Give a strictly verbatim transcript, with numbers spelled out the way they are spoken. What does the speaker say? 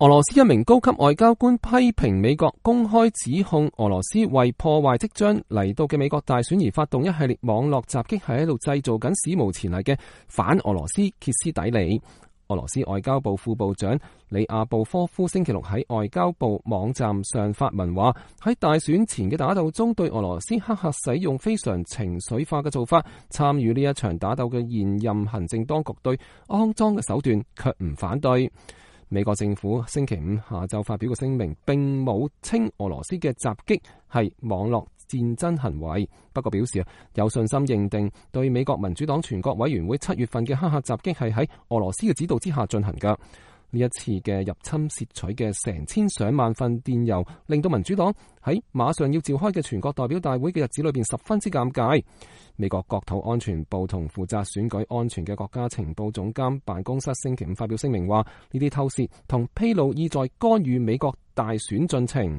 俄羅斯一名高級外交官批評美國公開指控俄羅斯為破壞即將嚟到嘅美國大選而發動一系列網絡襲擊，係喺度製造緊史無前例嘅反俄羅斯歇斯底里。俄羅斯外交部副部長里亞布科夫星期六喺外交部網站上發文話，喺大選前嘅打鬥中，對俄羅斯黑客使用非常情緒化嘅做法，參與呢一場打鬥嘅現任行政當局對骯髒嘅手段卻唔反對。美國政府星期五下晝發表個聲明，並冇稱俄羅斯嘅襲擊係網絡戰爭行為，不過表示有信心認定對美國民主黨全國委員會七月份嘅黑客襲擊係喺俄羅斯嘅指導之下進行㗎。呢一次嘅入侵竊取嘅成千上萬份電郵，令到民主黨喺馬上要召開嘅全國代表大會嘅日子裏邊十分之尷尬。美國國土安全部同負責選舉安全嘅國家情報總監辦公室星期五發表聲明話，呢啲偷竊同披露意在干預美國大選進程。